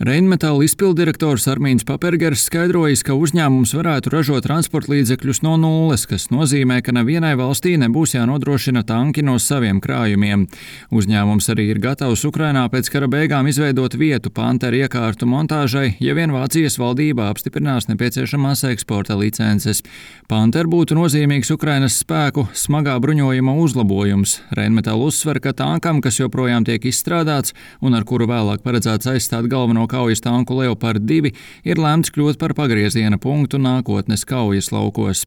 Rheinmetall izpilddirektors Armīns Papergers skaidrojis, ka uzņēmums varētu ražot transportlīdzekļus no nulles, kas nozīmē, ka nevienai valstī nebūs jānodrošina tanki no saviem krājumiem. Uzņēmums arī ir gatavs Ukrainā pēc kara beigām izveidot vietu Panther iekārtu montāžai, ja vien Vācijas valdība apstiprinās nepieciešamās eksporta licences. Panther būtu nozīmīgs Ukrainas spēku smagā bruņojuma uzlabojums. Rheinmetall uzsver, ka tankam, kas joprojām tiek izstrādāts un ar kuru vēlāk paredzēts aizstāt galveno kaujas tanku Leopard 2, ir lēmts kļūt par pagrieziena punktu nākotnes kaujas laukos.